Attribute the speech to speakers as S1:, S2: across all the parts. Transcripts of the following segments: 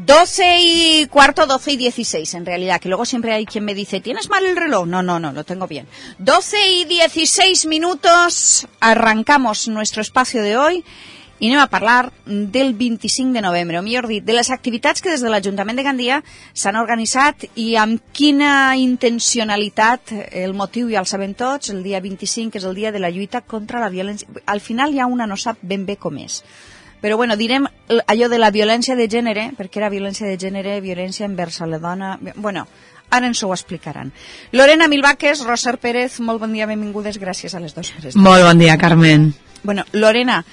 S1: 12:15, 12:16 en realidad, que luego siempre hay quien me dice, ¿tienes mal el reloj? No, lo tengo bien. 12:16, arrancamos nuestro espacio de hoy i anem a parlar del 25 de novembre, o millor dit, de les activitats que des de l'Ajuntament de Gandia s'han organitzat i amb quina intencionalitat. El motiu ja el sabem tots, el dia 25, que és el dia de la lluita contra la violència. Al final ja una no sap ben bé com és. Però bueno, direm allò de la violència de gènere, perquè era violència de gènere, violència envers la dona... Bueno, ara ens ho explicaran. Lorena Milvaques, Roser Pérez, molt bon dia, benvingudes, gràcies a les dues.
S2: Molt bon dia, Carmen.
S1: Bueno, Lorena,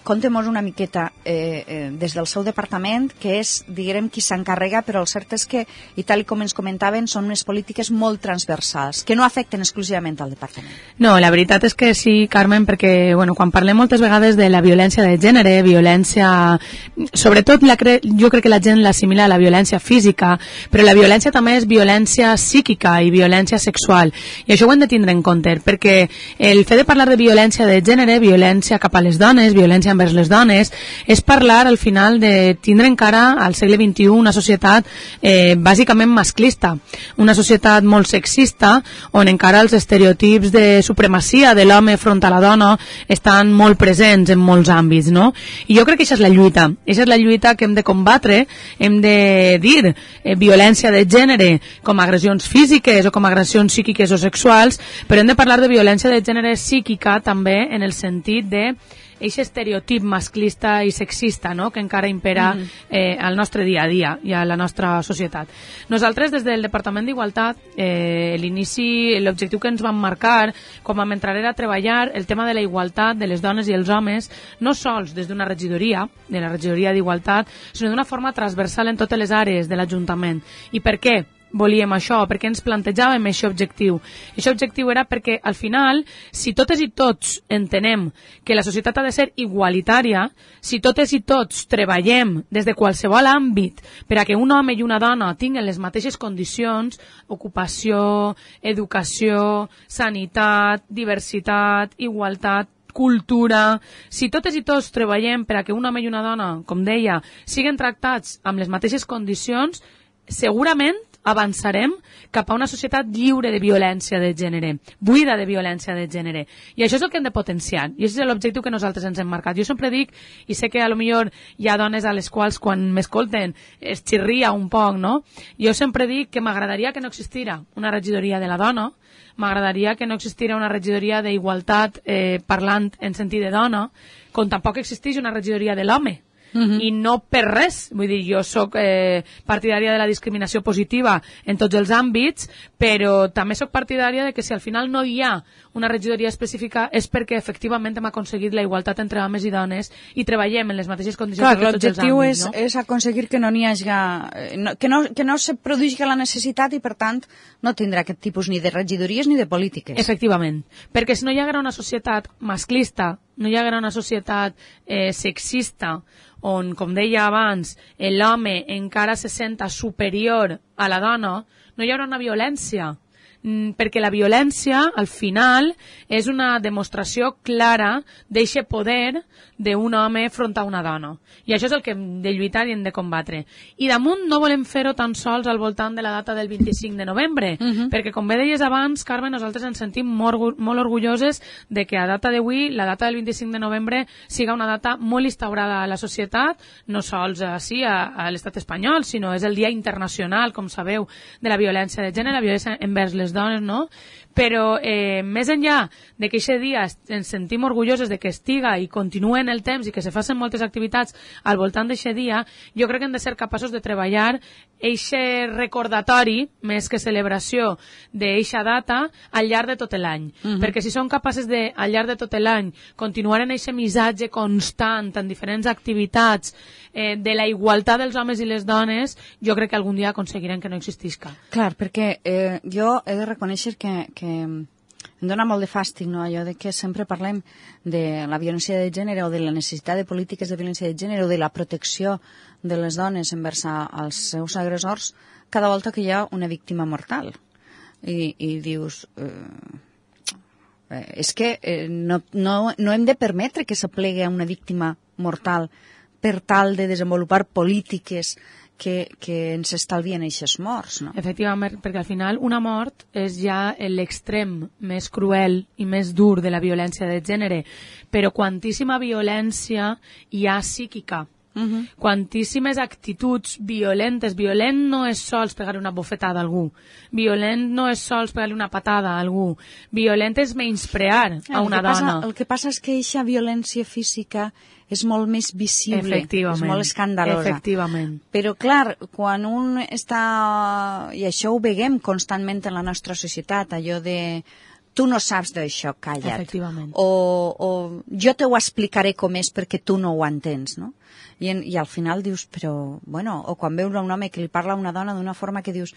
S1: contem-nos una miqueta des del seu departament, que és, diguem, qui s'encarrega, però el cert és que, i tal com ens comentaven, són unes polítiques molt transversals, que no afecten exclusivament al departament.
S2: No, la veritat és que sí, Carmen, perquè bueno, quan parlem moltes vegades de la violència de gènere, violència... Sobretot jo crec que la gent l'assimila a la violència física, però la violència també és violència psíquica i violència sexual, i això ho hem de tindre en compte, perquè el fet de parlar de violència de gènere, violència cap a les dones, violència envers les dones, és parlar al final de tindre encara al segle XXI una societat bàsicament masclista, una societat molt sexista, on encara els estereotips de supremacia de l'home front a la dona estan molt presents en molts àmbits, no? I jo crec que això és la lluita, això és la lluita que hem de combatre, hem de dir violència de gènere com agressions físiques o com agressions psíquiques o sexuals, però hem de parlar de violència de gènere psíquica també en el sentit de aquest estereotip masclista i sexista, no?, que encara impera al nostre dia a dia i a la nostra societat. Nosaltres, des del Departament d'Igualtat, l'inici, l'objectiu que ens vam marcar quan vam entrar era treballar el tema de la igualtat de les dones i els homes, no sols des d'una regidoria, de la regidoria d'Igualtat, sinó d'una forma transversal en totes les àrees de l'Ajuntament. I per què volíem això? Perquè ens plantejàvem aquest objectiu. Aquest objectiu era perquè, al final, si totes i tots entenem que la societat ha de ser igualitària, si totes i tots treballem des de qualsevol àmbit per a que un home i una dona tinguin les mateixes condicions, ocupació, educació, sanitat, diversitat, igualtat, cultura, si totes i tots treballem per a que un home i una dona, com deia, siguin tractats amb les mateixes condicions, segurament avançarem cap a una societat lliure de violència de gènere, buida de violència de gènere. I això és el que hem de potenciar, i això és l'objectiu que nosaltres ens hem marcat. Jo sempre dic, i sé que a lo millor hi ha dones a les quals quan m'escolten es xirria un poc, no? Jo sempre dic que m'agradaria que no existira una regidoria de la dona, m'agradaria que no existira una regidoria d'igualtat parlant en sentit de dona, com tampoc existeix una regidoria de l'home. I no per res, vull dir, jo soc partidària de la discriminació positiva en tots els àmbits, però també soc partidària de que si al final no hi ha una regidoria específica és perquè efectivament hem aconseguit la igualtat entre homes i dones i treballem en les mateixes condicions de tots els àmbits.
S1: Clar, l'objectiu és aconseguir que no n'hi hagi, que no se produeixi la necessitat i per tant no tindrà aquest tipus ni de regidories ni de polítiques.
S2: Efectivament, perquè si no hi haguera una societat masclista, no hi haguera una societat sexista, on, com deia abans, l'home encara se senta superior a la dona, no hi haurà una violència, perquè la violència, al final, és una demostració clara d'eixe poder d'un home front a una dona. I això és el que hem de lluitar i hem de combatre. I damunt no volem fer-ho tan sols al voltant de la data del 25 de novembre, perquè, com bé deies abans, Carme, nosaltres ens sentim molt orgulloses de que a data d'avui, la data del 25 de novembre, siga una data molt instaurada a la societat, no sols així a l'estat espanyol, sinó és el Dia Internacional, com sabeu, de la violència de gènere, la violència envers les dones, no? Però més enllà de que aquest dia ens sentim orgulloses de que estiga i continua en el temps i que se facin moltes activitats al voltant d'aquest dia, jo crec que hem de ser capaços de treballar aquest recordatori, més que celebració, d'aquesta data al llarg de tot l'any. Perquè si som capaces de, al llarg de tot l'any, continuar en aquest missatge constant en diferents activitats de la igualtat dels homes i les dones, jo crec que algun dia aconseguirem que no existisca.
S1: Clar, perquè jo he de reconèixer que em dona molt de fàstic, no?, allò de que sempre parlem de la violència de gènere o de la necessitat de polítiques de violència de gènere o de la protecció de les dones envers als seus agressors cada volta que hi ha una víctima mortal. I dius... és que no hem de permetre que s'aplegui a una víctima mortal per tal de desenvolupar polítiques que ens estalvien aquestes morts, no?
S2: Efectivament, perquè al final una mort és ja l'extrem més cruel i més dur de la violència de gènere, però quantíssima violència hi ha psíquica. Quantíssimes actituds violentes. Violent no és sols pegar una bofetada a algú, violent no és sols pegar una patada a algú, violent és menysprear a una dona.
S1: El que passa és que aquesta violència física és molt més visible, és molt escandalosa.
S2: Efectivament.
S1: Però clar, quan un està, i això ho veiem constantment en la nostra societat, allò de tu no saps d'això, calla't.
S2: Efectivament.
S1: O jo te ho explicaré com és perquè tu no ho entens, no? I al final dius, però, bueno, o quan veus un home que li parla a una dona d'una forma que dius,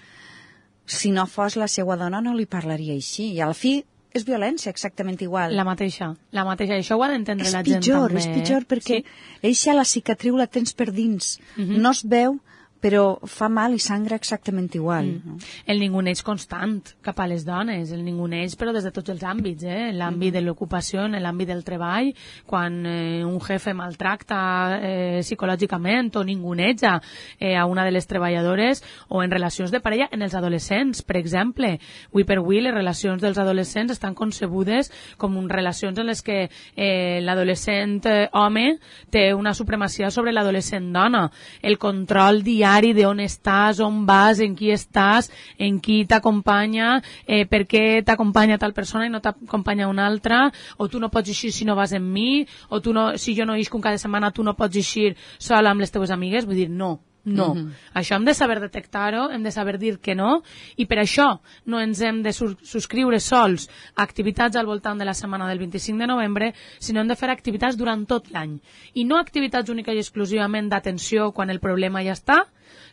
S1: si no fos la seva dona no li parlaria així. I al fi és violència exactament igual.
S2: La mateixa. Això ho ha d'entendre la gent també.
S1: És pitjor perquè eixa la cicatriu la tens per dins. No es veu, però fa mal i sangra exactament igual. No?
S2: El ninguneig constant cap a les dones, el ninguneig però des de tots els àmbits, en l'àmbit de l'ocupació, en l'àmbit del treball, quan un jefe maltracta psicològicament o ninguneja a una de les treballadores, o en relacions de parella, en els adolescents, per exemple. Avui per avui les relacions dels adolescents estan concebudes com relacions en les que l'adolescent home té una supremacia sobre l'adolescent dona. El control diari de on estàs, on vas, en qui estàs, en qui t'acompanya, per què t'acompanya tal persona i no t'acompanya una altra, o tu no pots eixir si no vas amb mi, o tu no, si jo no eixo cada setmana tu no pots eixir sola amb les teves amigues. Vull dir, no. Això hem de saber detectar-ho, hem de saber dir que no, i per això no ens hem de subscriure sols a activitats al voltant de la setmana del 25 de novembre, sinó hem de fer activitats durant tot l'any. I no activitats únicament i exclusivament d'atenció quan el problema ja està,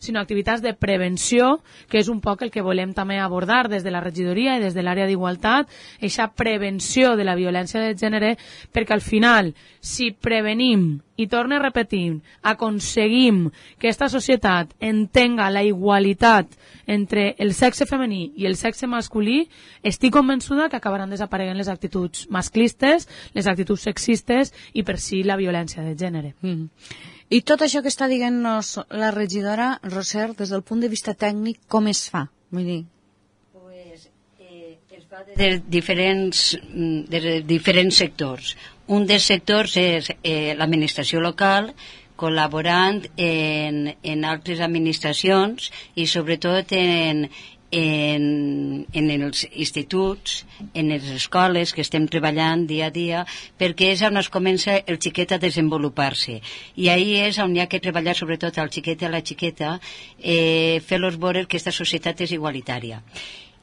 S2: sinó activitats de prevenció, que és un poc el que volem també abordar des de la regidoria i des de l'àrea d'igualtat, aquesta prevenció de la violència de gènere, perquè al final, si prevenim, i torno a repetir, aconseguim que aquesta societat entenga la igualtat entre el sexe femení i el sexe masculí, estic convençuda que acabaran desapareguent les actituds masclistes, les actituds sexistes i per si la violència de gènere.
S1: I tot això que està dient-nos la regidora, Roser, des del punt de vista tècnic, com es fa? Vull dir...
S3: Es fa de diferents sectors. Un dels sectors és l'administració local, col·laborant en altres administracions i sobretot en els instituts, en les escoles que estem treballant dia a dia, perquè és on es comença el xiquet a desenvolupar-se. I ahí és on hi ha que treballar sobretot al xiquet i a la xiqueta, fer-los veure que aquesta societat és igualitària.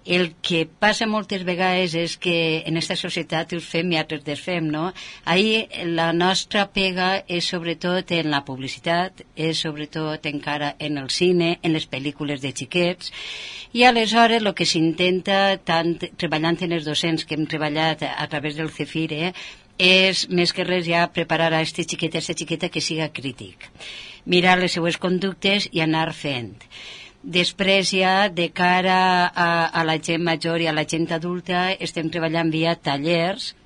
S3: El que passa moltes vegades és que en aquesta societat us fem i altres desfem, no? Ahir la nostra pega és sobretot en la publicitat, és sobretot encara en el cine, en les pel·lícules de xiquets, i aleshores el que s'intenta, tant treballant en els docents que hem treballat a través del CEFIRE, és més que res ja preparar a este xiquet, a aquesta xiqueta que siga crític. Mirar les seues conductes i anar fent. Després ja, de cara a la gent major i a la gent adulta, estem treballant via tallers,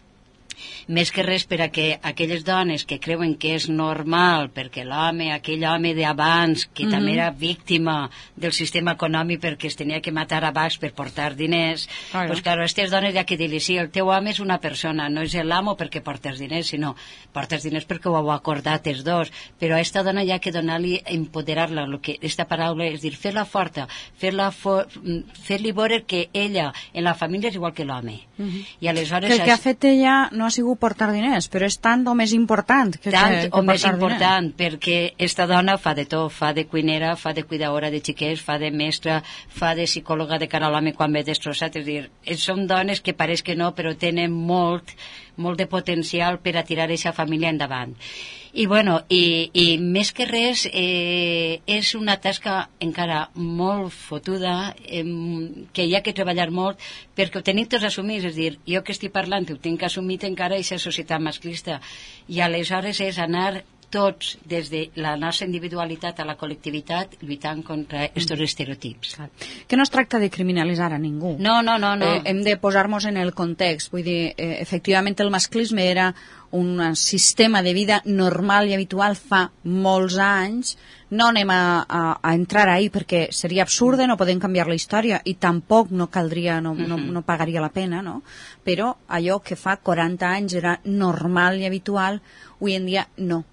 S3: més que res per a que aquelles dones que creuen que és normal, perquè aquell home d'abans, que també era víctima del sistema econòmic perquè es tenia que matar abans per portar diners, doncs clar, a aquestes dones hi ha que dir-li, sí, el teu home és una persona, no és l'amo perquè portes diners, sinó portes diners perquè ho heu acordat els dos, però a aquesta dona hi ha que donar-li, empoderar-la, aquesta paraula és dir, fer-la forta, fer-li veure que ella en la família és igual que l'home. I aleshores...
S1: Que el que ha fet ella no ha sigut portar diners, però és tant o més important que
S3: més important, perquè esta dona fa de tot, fa de cuinera, fa de cuidadora de xiquets, fa de mestra, fa de psicòloga de cara a l'home quan ve destrossat, és dir, són dones que pareix que no, però tenen molt de potencial per a tirar aquesta família endavant. I bueno, i més que res és una tasca encara molt fotuda, que hi ha que treballar molt perquè ho tenim tots assumits, és dir, jo que estic parlant ho tinc assumit encara aquesta societat masclista, i aleshores és anar tots, des de la nostra individualitat a la col·lectivitat, lluitant contra aquests estereotips.
S1: Que no es tracta de criminalitzar a ningú.
S3: No.
S1: Hem de posar-nos en el context. Vull dir, efectivament el masclisme era un sistema de vida normal i habitual fa molts anys, no anem a entrar ahí perquè seria absurd, no podem canviar la història i tampoc no caldria, no pagaria la pena, no? Però allò que fa 40 anys era normal i habitual, avui en dia no.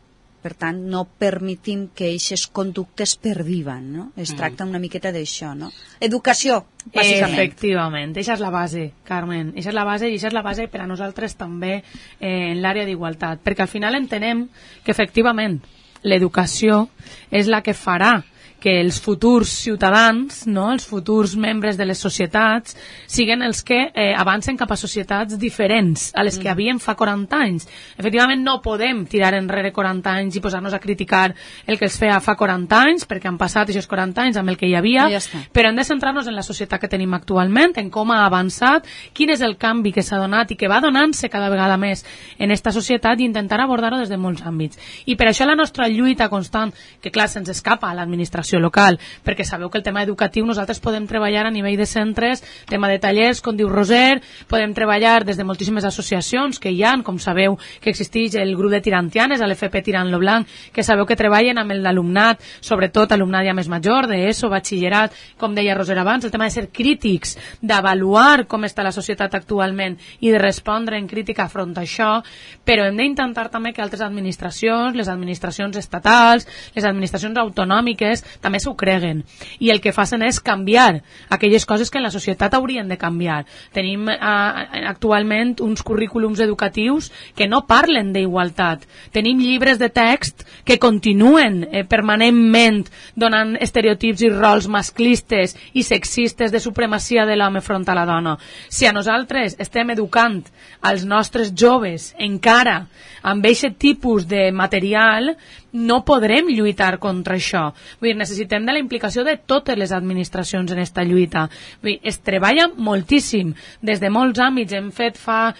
S1: Per tant, no permetim que aquestes conductes perviven, no? Es tracta una miqueta d'això, no? Educació, bàsicament.
S2: Efectivament, això és la base, Carmen. Això és la base, i això és la base per a nosaltres també en l'àrea d'igualtat, perquè al final entenem que efectivament l'educació és la que farà que els futurs ciutadans, no, els futurs membres de les societats, siguin els que avancen cap a societats diferents a les que havien fa 40 anys. Efectivament, no podem tirar enrere 40 anys i posar-nos a criticar el que es feia fa 40 anys, perquè han passat aquests 40 anys amb el que hi havia, però hem de centrar-nos en la societat que tenim actualment, en com ha avançat, quin és el canvi que s'ha donat i que va donant-se cada vegada més en esta societat i intentar abordar-ho des de molts àmbits. I per això la nostra lluita constant, que clar, se'ns escapa a l'administració local, perquè sabeu que el tema educatiu nosaltres podem treballar a nivell de centres, tema de tallers, com diu Roser, podem treballar des de moltíssimes associacions que hi ha, com sabeu que existeix el grup de tirantianes, a l'FP Tirant lo Blanc, que sabeu que treballen amb l'alumnat, sobretot alumnat ja més major, d'ESO, batxillerat, com deia Roser abans, el tema de ser crítics, d'avaluar com està la societat actualment i de respondre en crítica front a això, però hem d'intentar també que altres administracions, les administracions estatals, les administracions autonòmiques, també s'ho creguen, i el que facin és canviar aquelles coses que en la societat haurien de canviar. Tenim actualment uns currículums educatius que no parlen d'igualtat, tenim llibres de text que continuen permanentment donant estereotips i rols masclistes i sexistes de supremacia de l'home front a la dona. Si a nosaltres estem educant als nostres joves encara amb aquest tipus de material, no podrem lluitar contra això. Vull dir, necessitem de la implicació de totes les administracions en esta lluita. Vull dir, es treballa moltíssim des de molts àmbits. Hem fet fa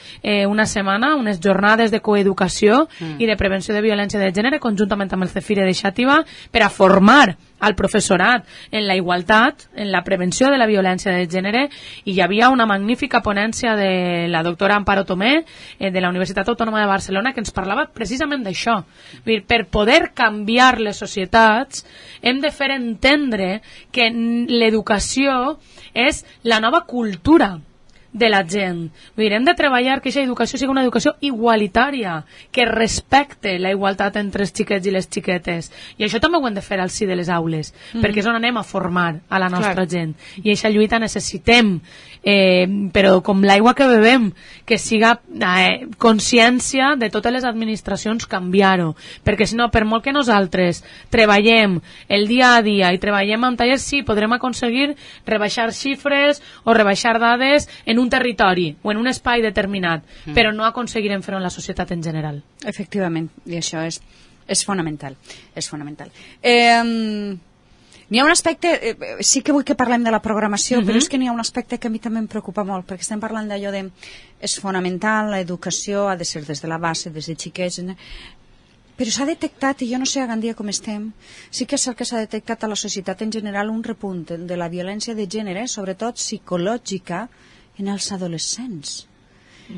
S2: una setmana unes jornades de coeducació i de prevenció de violència de gènere conjuntament amb el Cefire de Xàtiva per a formar al professorat en la igualtat, en la prevenció de la violència de gènere, i hi havia una magnífica ponència de la doctora Amparo Tomé de la Universitat Autònoma de Barcelona que ens parlava precisament d'això. Per poder canviar les societats hem de fer entendre que l'educació és la nova cultura de la gent. Vull dir, hem de treballar que aquesta educació sigui una educació igualitària, que respecte la igualtat entre els xiquets i les xiquetes. I això també ho hem de fer al si de les aules, perquè és on anem a formar a la nostra gent. I aquesta lluita necessitem, però com l'aigua que bevem, que siga consciència de totes les administracions canviar-ho, perquè si no, per molt que nosaltres treballem el dia a dia i treballem amb tallers, sí, podrem aconseguir rebaixar xifres o rebaixar dades en un territori o en un espai determinat, però no aconseguirem fer-ho en la societat en general.
S1: Efectivament, i això és fonamental. És fonamental. N'hi ha un aspecte, sí que vull que parlem de la programació, però és que n'hi ha un aspecte que a mi també em preocupa molt, perquè estem parlant d'allò de és fonamental, l'educació ha de ser des de la base, des de xiquets, però s'ha detectat, i jo no sé a Gandia com estem, sí que és cert que s'ha detectat a la societat en general un repunt de la violència de gènere, sobretot psicològica, en els adolescents.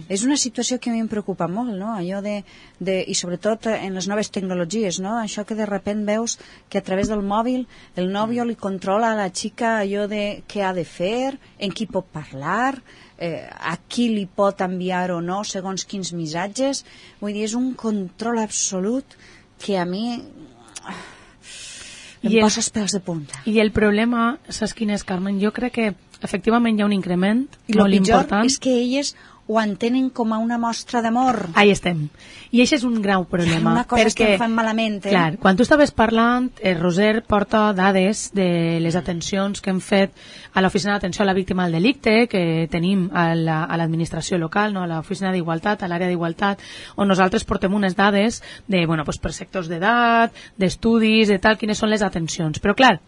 S1: És una situació que a mi em preocupa molt, no? Allò i sobretot en les noves tecnologies, no? Això que de repent veus que a través del mòbil el nòvio li controla a la xica allò de què ha de fer, en qui pot parlar, a qui li pot enviar o no segons quins missatges. Vull dir, és un control absolut que a mi em posa els pèls de punta.
S2: I el problema, saps quin és, Carmen? Jo crec que efectivament hi ha un increment molt important.
S1: I el pitjor és que elles ho entenen com a una mostra d'amor.
S2: Ahí estem. I això és un greu problema.
S1: Una cosa que fan malament.
S2: Clar, quan tu estaves parlant, Roser porta dades de les atencions que hem fet a l'Oficina d'Atenció a la Víctima del Delicte, que tenim a l'administració local, no? A l'Oficina d'Igualtat, a l'àrea d'Igualtat, on nosaltres portem unes dades de, per sectors d'edat, d'estudis, de tal, quines són les atencions. Però clar,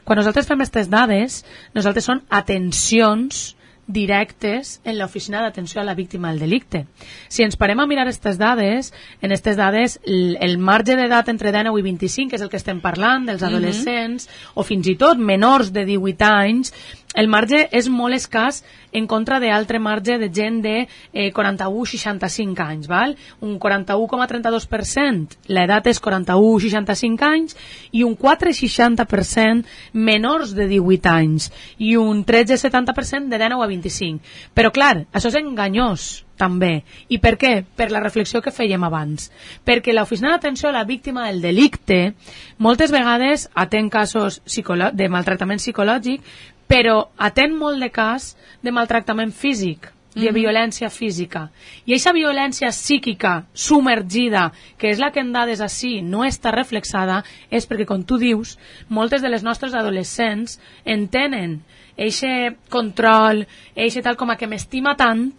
S2: quan nosaltres fem aquestes dades, nosaltres són atencions directes en l'Oficina d'Atenció a la Víctima del Delicte. Si ens parem a mirar aquestes dades, en aquestes dades el marge d'edat entre 19 i 25, que és el que estem parlant, dels adolescents, o fins i tot menors de 18 anys, el marge és molt escàs en contra d'altre marge de gent de 41-65 anys, val? Un 41,32%, l'edat és 41-65 anys, i un 4,60% menors de 18 anys, i un 13,70% de 19 a 25. Però clar, això és enganyós, també. I per què? Per la reflexió que fèiem abans. Perquè l'Oficina d'Atenció a la Víctima del Delicte moltes vegades atén casos de maltractament psicològic, però atén molt de cas de maltractament físic, de violència física. I aquesta violència psíquica submergida, que és la que en dades així no està reflexada, és perquè, com tu dius, moltes de les nostres adolescents entenen eixe control, eixe tal com a que m'estima tant,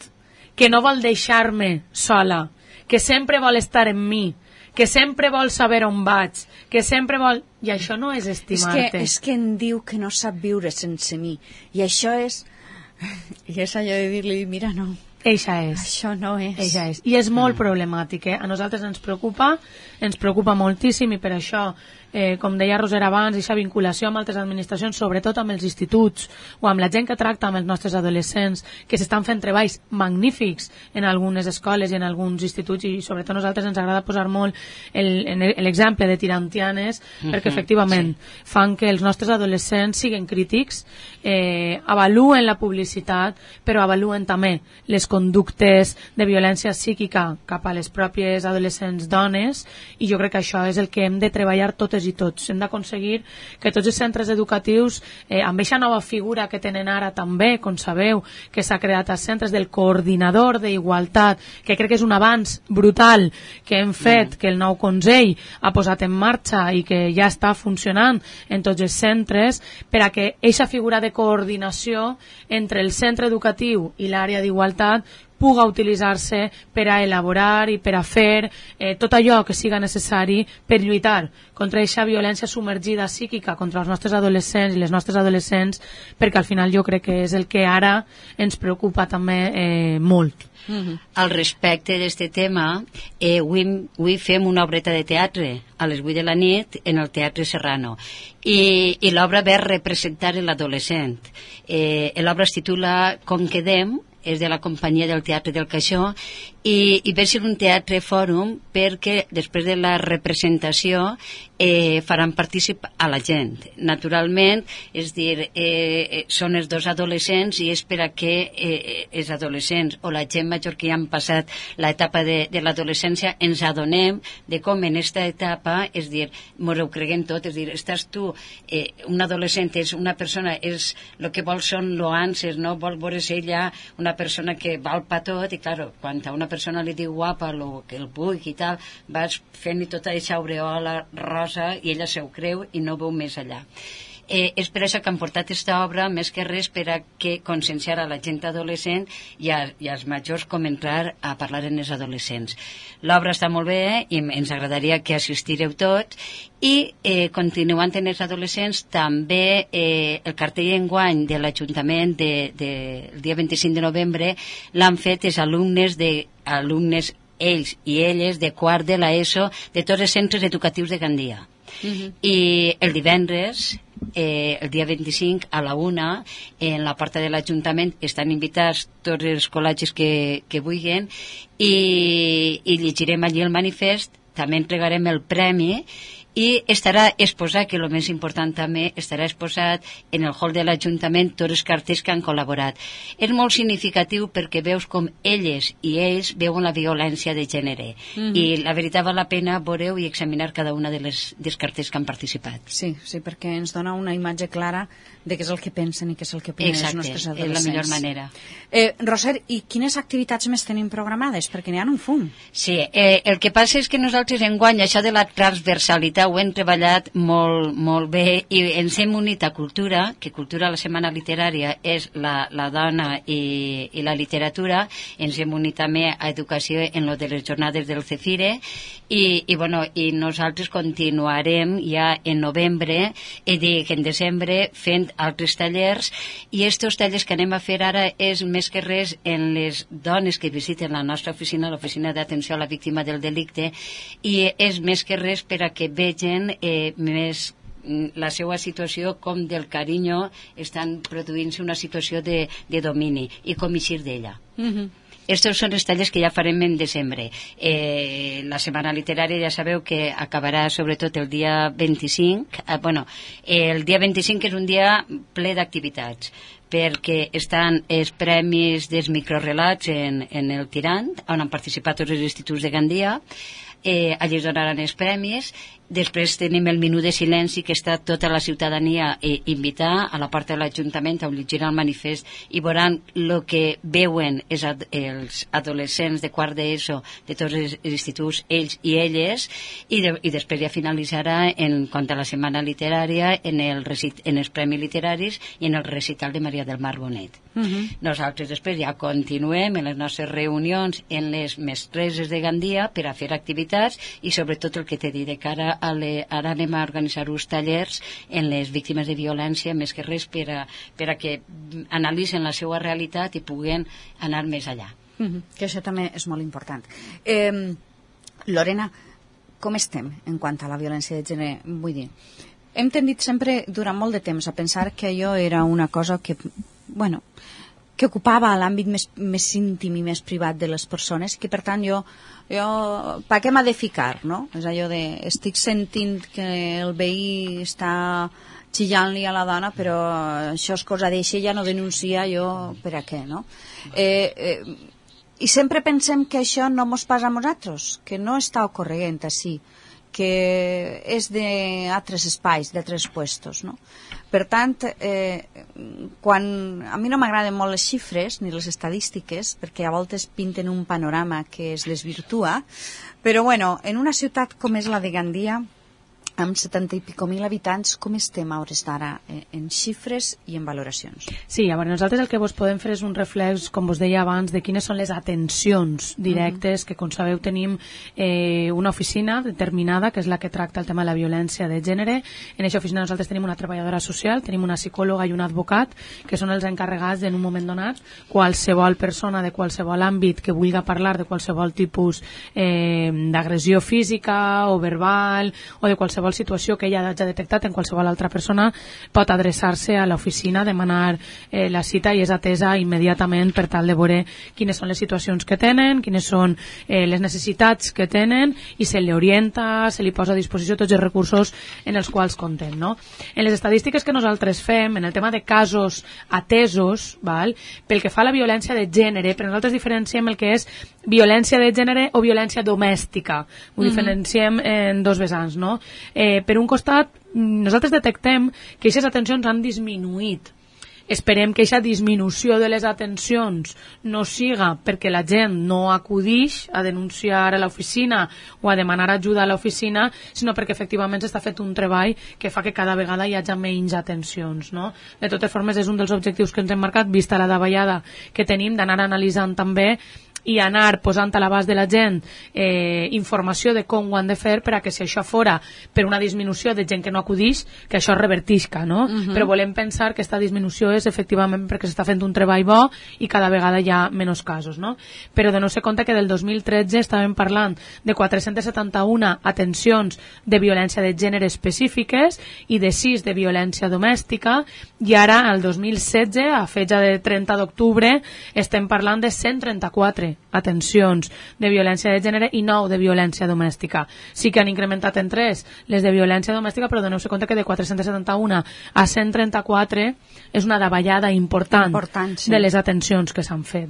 S2: que no vol deixar-me sola, que sempre vol estar en mi, que sempre vol saber on vaig, que sempre vol... I això no és estimar-te.
S1: És que em diu que no sap viure sense mi. I això és... I és allò de dir-li, mira, no.
S2: Eixa és.
S1: Això no és.
S2: Eixa és. I és molt problemàtic, eh? A nosaltres ens preocupa moltíssim, i per això, com deia Roser abans, aquesta vinculació amb altres administracions, sobretot amb els instituts o amb la gent que tracta amb els nostres adolescents, que s'estan fent treballs magnífics en algunes escoles i en alguns instituts, i sobretot a nosaltres ens agrada posar molt l'exemple de Tirantianes, perquè efectivament fan que els nostres adolescents siguin crítics, avaluen la publicitat, però avaluen també les conductes de violència psíquica cap a les pròpies adolescents dones, i jo crec que això és el que hem de treballar totes i tots. Hem d'aconseguir que tots els centres educatius, amb aquesta nova figura que tenen ara també, com sabeu, que s'ha creat als centres del coordinador d'igualtat, que crec que és un avanç brutal que hem fet, que el nou Consell ha posat en marxa i que ja està funcionant en tots els centres, per a que aquesta figura de coordinació entre el centre educatiu i l'àrea d'igualtat puga utilitzar-se per a elaborar i per a fer tot allò que siga necessari per lluitar contra aquesta violència submergida psíquica contra els nostres adolescents i les nostres adolescents, perquè al final jo crec que és el que ara ens preocupa també molt.
S3: Al respecte d'aquest tema, avui fem una obreta de teatre a les 8 de la nit en el Teatre Serrano, i l'obra ve a representar l'adolescent. L'obra es titula Com quedem, és de la companyia del Teatre del Caixó, i ve ser un teatre fòrum perquè després de la representació faran partícip a la gent. Naturalment, és dir, són els dos adolescents, i és per a que els adolescents o la gent major que ja han passat l'etapa de l'adolescència ens adonem de com en aquesta etapa, és dir, mos ho creguem tot, és dir, estàs tu, un adolescent és una persona, és el que vol són loances, no? Vol veure's ella una persona que val pa tot, i clar, quan a una persona li diu guapa, el que el vulgui i tal, vas fent-li tota aquesta aureola rosa i ella se ho creu i no veu més allà. És per això que han portat aquesta obra, més que res per a que conscienciar a la gent adolescent i als majors com entrar a parlar en els adolescents. L'obra està molt bé i ens agradaria que assistireu tots, i continuant en els adolescents també el cartell enguany de l'Ajuntament del dia 25 de novembre l'han fet els alumnes ells i elles de quart de l'ESO de tots els centres educatius de Gandia. I el divendres, el dia 25 a la 1, en la porta de l'Ajuntament estan invitats tots els col·legis que vulguin, i llegirem allí el manifest, també entregarem el premi, i estarà exposat, que el més important també, estarà exposat en el hall de l'Ajuntament tots els cartells que han col·laborat. És molt significatiu perquè veus com elles i ells veuen la violència de gènere, i la veritat val la pena veure i examinar cada una dels cartells que han participat.
S1: Sí, perquè ens dona una imatge clara de què és el que pensen i què és el que opinen els nostres adolescents.
S3: És la millor manera.
S1: Roser, i quines activitats més tenim programades? Perquè n'hi ha un fum.
S3: Sí, el que passa és que nosaltres enguany això de la transversalitat ho hem treballat molt bé, i ens hem unit a Cultura, que Cultura, la setmana literària, és la dona i la literatura. Ens hem unit també a Educació en lo de les jornades del Cefire, i nosaltres continuarem ja en novembre, en desembre, fent altres tallers, i aquests tallers que anem a fer ara és més que res en les dones que visiten la nostra oficina, l'Oficina d'Atenció a la Víctima del Delicte, i és més que res per a que vegin més la seva situació com del carinyo estan produint-se una situació de domini i com eixir d'ella. Estos són els tallers que ja farem en desembre. La setmana literària ja sabeu que acabarà sobretot el dia 25. El dia 25 és un dia ple d'activitats, perquè estan els premis dels microrelats en el Tirant, on han participat tots els instituts de Gandia. Allí es donaran els premis. Després tenim el minut de silenci, que està tota la ciutadania invitar a la porta de l'Ajuntament on llegirà el manifest i veuran el que veuen els adolescents de quart d'ESO de tots els instituts, ells i elles, i després ja finalitzarà en quant a la setmana literària en els premis literaris i en el recital de Maria del Mar Bonet. Nosaltres després ja continuem en les nostres reunions en les mestreses de Gandia per a fer activitats i sobretot el que t'he dit de cara ara anem a organitzar uns tallers en les víctimes de violència, més que res per a que analitzen la seva realitat i puguen anar més allà.
S1: Que això també és molt important. Lorena, com estem en quant a la violència de gènere? Vull dir, hem tendit sempre durant molt de temps a pensar que allò era una cosa que ocupava l'àmbit més íntim i més privat de les persones, que per tant jo per què m'ha de ficar, no? És allò de, estic sentint que el veí està xillant-li a la dona, però això és cosa d'eixa, ja no denuncia, jo per a què, no? I sempre pensem que això no mos passa a nosaltres, que no està ocorrent així, que és d'altres espais, d'altres puestos, no? Per tant, quan a mi no m'agraden molt les xifres ni les estadístiques, perquè a voltes pinten un panorama que es desvirtua, però bueno, en una ciutat com és la de Gandia, amb 70 i pico mil habitants, com estem a hores d'ara en xifres i en valoracions?
S2: Sí, llavors nosaltres el que vos podem fer és un reflex, com vos deia abans, de quines són les atencions directes, que com sabeu tenim una oficina determinada, que és la que tracta el tema de la violència de gènere. En aquesta oficina nosaltres tenim una treballadora social, tenim una psicòloga i un advocat, que són els encarregats en un moment donat, qualsevol persona de qualsevol àmbit que vulgui parlar de qualsevol tipus d'agressió física o verbal o de qualsevol situació que ella hagi detectat en qualsevol altra persona, pot adreçar-se a l'oficina, demanar la cita i és atesa immediatament per tal de veure quines són les situacions que tenen, quines són les necessitats que tenen i se li orienta, se li posa a disposició tots els recursos en els quals compten, no? En les estadístiques que nosaltres fem, en el tema de casos atesos, pel que fa a la violència de gènere, però nosaltres diferenciem el que és violència de gènere o violència domèstica. Ho diferenciem en dos vessants, no? Per un costat, nosaltres detectem que aquestes atencions han disminuït. Esperem que aquesta disminució de les atencions no siga perquè la gent no acudix a denunciar a l'oficina o a demanar ajuda a l'oficina, sinó perquè efectivament s'està fet un treball que fa que cada vegada hi hagi menys atencions, no? De totes formes, és un dels objectius que ens hem marcat, vista la davallada que tenim, d'anar analitzant també i anar posant a l'abast de la gent informació de com ho han de fer per a que si això fora per una disminució de gent que no acudix, que això revertisca, no? Però volem pensar que aquesta disminució és efectivament perquè s'està fent un treball bo i cada vegada hi ha menys casos, no? Però de no ser compte que del 2013 estàvem parlant de 471 atencions de violència de gènere específiques i de 6 de violència domèstica, i ara, el 2016, a fecha de 30 d'octubre, estem parlant de 134 atencions de violència de gènere i 9 de violència domèstica. Sí que han incrementat en 3 les de violència domèstica, però doneu-se compte que de 471 a 134 és una davallada important sí, de les atencions que s'han fet.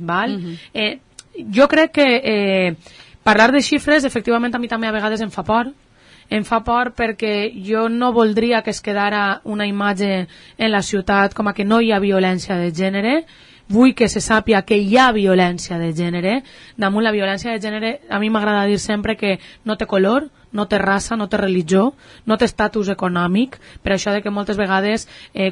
S2: Jo crec que parlar de xifres, efectivament, a mi també a vegades em fa por. Em fa por perquè jo no voldria que es quedara una imatge en la ciutat com a que no hi ha violència de gènere. Vull que se sàpia que hi ha violència de gènere. Damunt la violència de gènere, a mi m'agrada dir sempre que no té color, no té raça, no té religió, no té estatus econòmic, per això de que moltes vegades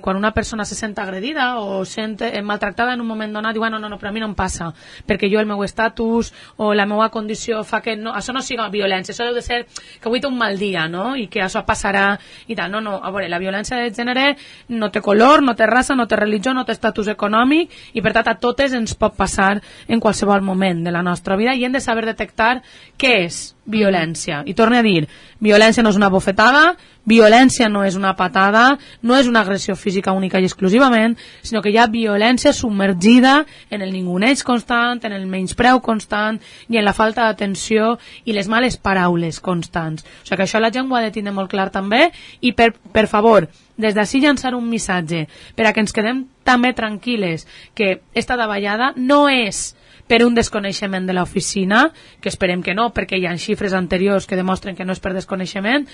S2: quan una persona se sent agredida o sent maltractada en un moment donat, diu, no, però a mi no em passa, perquè jo el meu estatus o la meva condició fa que això no siga violència, això deu de ser que avui té un mal dia, no? I que això passarà i tal. No, a veure, la violència de gènere no té color, no té raça, no té religió, no té estatus econòmic i per tant a totes ens pot passar en qualsevol moment de la nostra vida i hem de saber detectar què és violència. I torno a dir, dir, violència no és una bofetada, violència no és una patada, no és una agressió física única i exclusivament, sinó que hi ha violència submergida en el ninguneig constant, en el menyspreu constant i en la falta d'atenció i les males paraules constants. O sigui que això la gent ho ha de tindre molt clar també i per favor, des d'ací llançar un missatge per a que ens quedem també tranquil·les que esta davallada no és per un desconeixement de l'oficina, que esperem que no, perquè hi ha xifres anteriors que demostren que no és per desconeixement,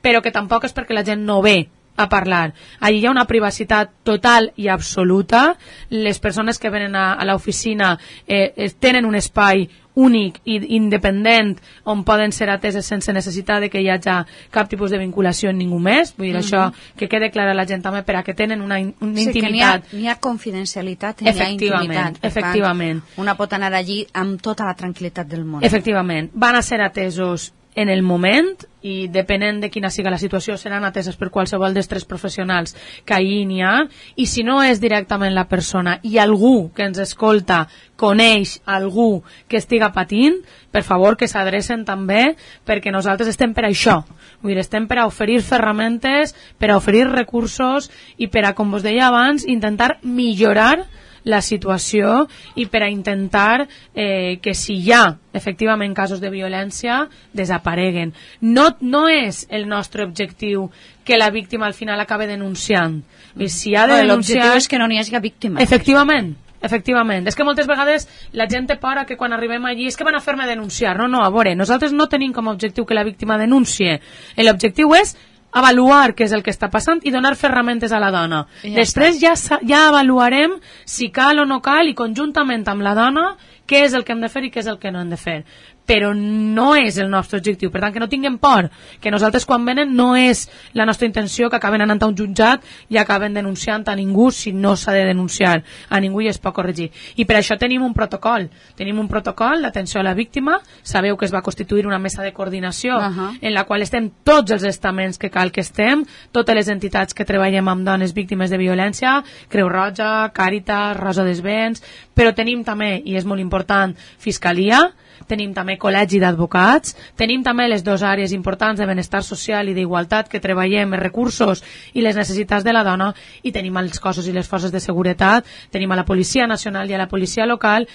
S2: però que tampoc és perquè la gent no ve a parlar. Allí hi ha una privacitat total i absoluta. Les persones que venen a l'oficina tenen un espai únic i independent on poden ser ateses sense necessitat de que hi hagi cap tipus de vinculació en ningú més. Vull dir, això que quede clar a la gent també per a que tenen una intimitat.
S1: Sí, que n'hi ha confidencialitat i n'hi ha intimitat.
S2: Efectivament.
S1: Una pot anar allí amb tota la tranquil·litat del món.
S2: Efectivament. Van a ser atesos en el moment i depenent de quina siga la situació seran ateses per qualsevol dels tres professionals que ahir n'hi ha, i si no és directament la persona i algú que ens escolta coneix algú que estiga patint, per favor que s'adrecen també, perquè nosaltres estem per això. Vull dir, estem per a oferir ferramentes, per a oferir recursos i per a, com vos deia abans, intentar millorar la situació i per a intentar que si hi ha efectivament casos de violència desapareguen. No és el nostre objectiu que la víctima al final acabe denunciant. Si ha de denunciar...
S1: L'objectiu és que no n'hi hagi víctima.
S2: Efectivament. És que moltes vegades la gent té por que quan arribem allí és que van a fer-me denunciar. No, a veure, nosaltres no tenim com a objectiu que la víctima denuncie. L'objectiu és avaluar què és el que està passant i donar ferramentes a la dona. Després ja avaluarem si cal o no cal i conjuntament amb la dona què és el que hem de fer i què és el que no hem de fer. Però no és el nostre objectiu, per tant que no tinguem por, que nosaltres quan venen no és la nostra intenció que acaben anant a un jutjat i acaben denunciant a ningú si no s'ha de denunciar a ningú i es pot corregir. I per això tenim un protocol d'atenció a la víctima. Sabeu que es va constituir una mesa de coordinació en la qual estem tots els estaments que cal que estem, totes les entitats que treballem amb dones víctimes de violència, Creu Roja, Càritas, Rosa dels Vents, però tenim també, i és molt important, Fiscalia, tenim també col·legi d'advocats, tenim també les dues àrees importants de benestar social i d'igualtat que treballem els recursos i les necessitats de la dona, i tenim els cossos i les forces de seguretat, tenim a la Policia Nacional i a la Policia Local,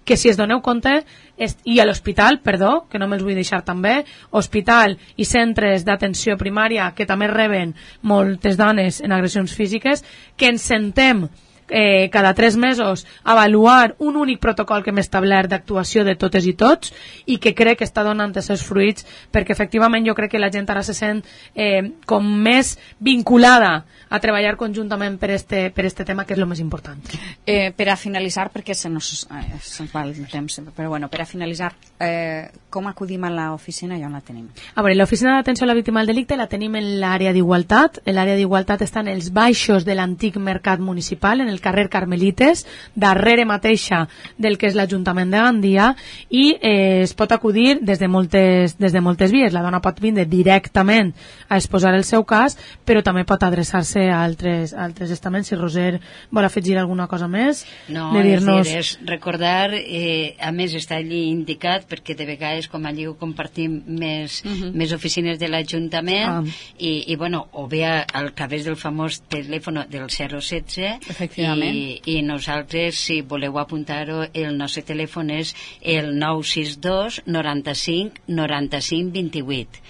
S2: que si es doneu compte, i a l'hospital, perdó, que no me'ls vull deixar també, hospital i centres d'atenció primària que també reben moltes dones en agressions físiques, que ens sentem cada 3 mesos avaluar un únic protocol que hem establert d'actuació de totes i tots i que crec que està donant els seus fruits, perquè efectivament jo crec que la gent ara se sent com més vinculada a treballar conjuntament per este tema, que és el més important.
S1: Per a finalitzar, perquè se'ns va el temps, però bueno, per a finalitzar, com acudim a l'oficina i on la tenim?
S2: A veure, l'oficina d'atenció a la víctima del delicte la tenim en l'àrea d'igualtat. L'àrea d'igualtat està en els baixos de l'antic mercat municipal, en el carrer Carmelites, darrere mateixa del que és l'Ajuntament de Gandia, i es pot acudir des de moltes vies. La dona pot vindre directament a exposar el seu cas, però també pot adreçar-se a altres estaments. Si Roser vol afegir alguna cosa més,
S3: no,
S2: de dir-nos...
S3: és recordar, a més està allí indicat, perquè de vegades com allí ho compartim més oficines de l'Ajuntament, i bueno, o bé al través del famós telèfon del 016, i nosaltres, si voleu apuntar-ho, el nostre telèfon és el 962 95 95 28,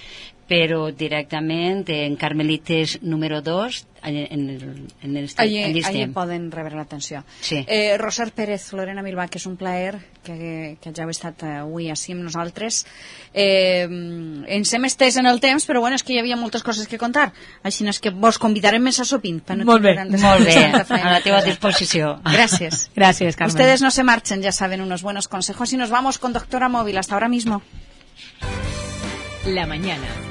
S3: però directament en Carmelites número 2
S1: allí poden rebre l'atenció.
S3: Sí.
S1: Roser Pérez, Lorena Milbà, que és un plaer que ja heu estat avui així amb nosaltres. Ens hem estès en el temps, però bueno, és que hi havia moltes coses que contar, així és que vos convidarem més a sopint.
S2: Molt bé,
S3: a la teva disposició.
S1: Gracias.
S2: Gracias, Carmen.
S1: Ustedes no se marchen, ya saben unos buenos consejos, y nos vamos con Doctora Móvil. Hasta ahora mismo.
S4: La mañana.